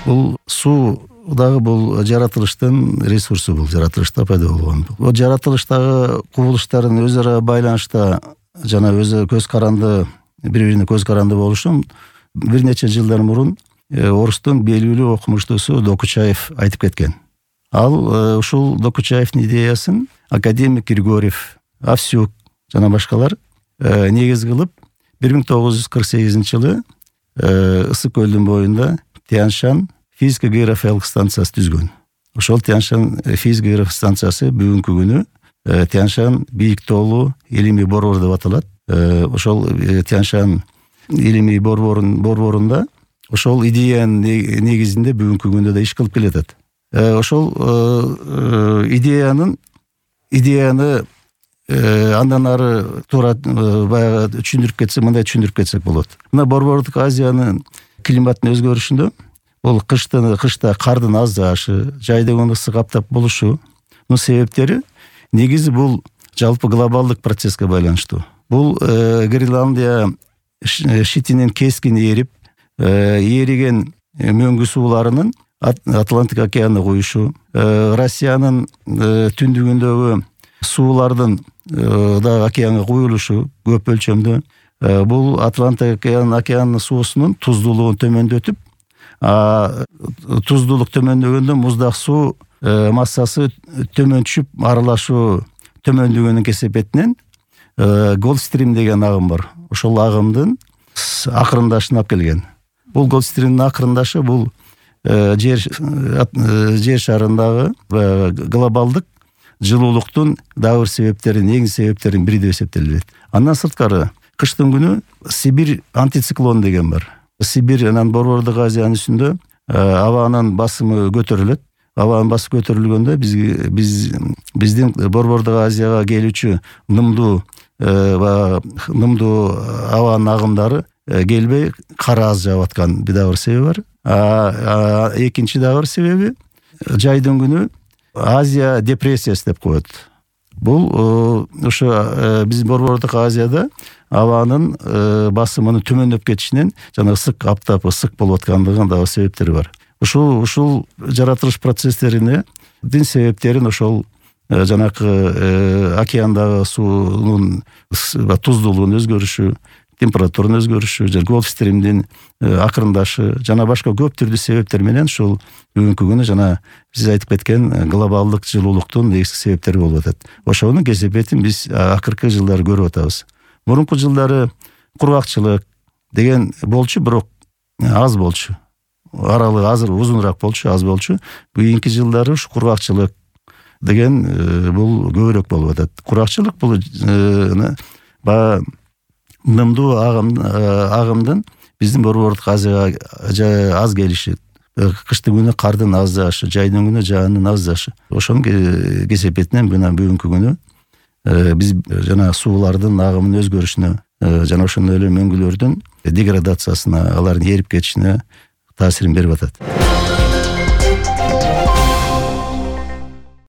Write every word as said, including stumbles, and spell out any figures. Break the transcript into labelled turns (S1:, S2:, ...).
S1: Бул суу дагы бул жаратылыштын ресурсу, бул жаратылышта пайда болгон. Бул жаратылыштагы кубулуштардын өз ара байланышта жана өзү көз каранды, бири-бирине көз каранды болушу бир нече жылдар мурун орустун белгилүү окумуштуусу Докучаев айтып кеткен. Ал ушул Докучаевдин идеясын академик Григорьев, Авсюк жана башкалар негиз кылып бир миң тогуз жүз кырк сегизинчи жылы Ысык көлдүн боюнда Тянь-Шань физико-географиялык станциясы түзгөн. Ошол Тянь-Шань физико-географиялык станциясы бүгүнкү күнү Тянь-Шань бийик тоолуу илимий борбор деп аталат. Ошол Тянь-Шань илимий борборун борборунда ошол идеянын негизинде бүгүнкү күндө да иш кылып келатат. Ошол идеянын идеяны андан ары туура баягы түшүндүрүп кетсек, мындай түшүндүрүп кетсек болот. Мына Борбордук Азиянын климаттын өзгөрүшүндө бул кыштын кышта кардын аз жаашы, жайдын ысык аптап болушу мунун себептери негизи бул жалпы глобалдык процесске байланыштуу. Бул Гренландия шитинин кескин ээрип, ээриген мөңгү сууларынын Атлантик океанына куюшу, Россиянын түндүгүндөгү суулардын да океанга куюлушу көп өлчөмдө бул Атлантик океанынын суусунун туздуулугун төмөндөтүп, туздуулук төмөндөгөндө муздак суу массасы төмөн түшүп, аралашуу төмөндөгөнүн кесепетинен Голдстрим деген агым бар. Ошол агымдын акырындашына алып келген. Бул Голдстримдин акырындашы бул жер жер шарындагы глобалдык жылуулуктун дагы бир себептери, негизги себептеринин бири деп эсептелет. Андан сырткары кыштын күнү Сибирь антициклон деген бар. Сибирь анан Борбордук Азиянын үстүндө абанын басымы көтөрүлөт. Абанын басымы көтөрүлгөндө биз биз биздин Борбордук Азияга келүүчү нымдуу нымдуу абанын агымдары келбей кар аз жаап аткан дагы бир себеби бар. А экинчи дагы бир себеби жайдын күнү Азия депрессиясы деп коет. Бул ошо биз Борбордук Азияда абанын басымынын төмөндөп кетишинен жана ысык аптап ысык болуп аткандыгынын дагы себептери бар. Ушул ушул жаратылыш процесстерине дин себептерин ошол жанакы океандагы суунун туздуулугунун өзгөрүшү, температуранын өзгөрүшү, жана Голдстримдин акырындашы жана башка көп түрдүү себептер менен ушул бүгүнкү күнү жана сиз айтып кеткен глобалдык жылуулуктун негизги себептери болуп атат. Ошонун кесепетин биз акыркы жылдары көрүп атабыз. Мурунку жылдары кургакчылык деген болчу, бирок аз болчу. Аралыгы азыр узунураак болчу, аз болчу. Кийинки жылдары ушу кургакчылык деген бул көбүрөөк болуп атат. Кургакчылык бул баягы нымдуу агымдын биздин Борбордук Азияга аз келиши, кыштын күнү кардын аз жаашы, жайдын күнү жаанын аз жаашы. Ошонун кесепетинен мына бүгүнкү күнү биз жана суулардын агымынын өзгөрүшүнө жана ошондой эле мөңгүлөрдүн деградациясына, алардын эрип кетишине таасирин берип атат.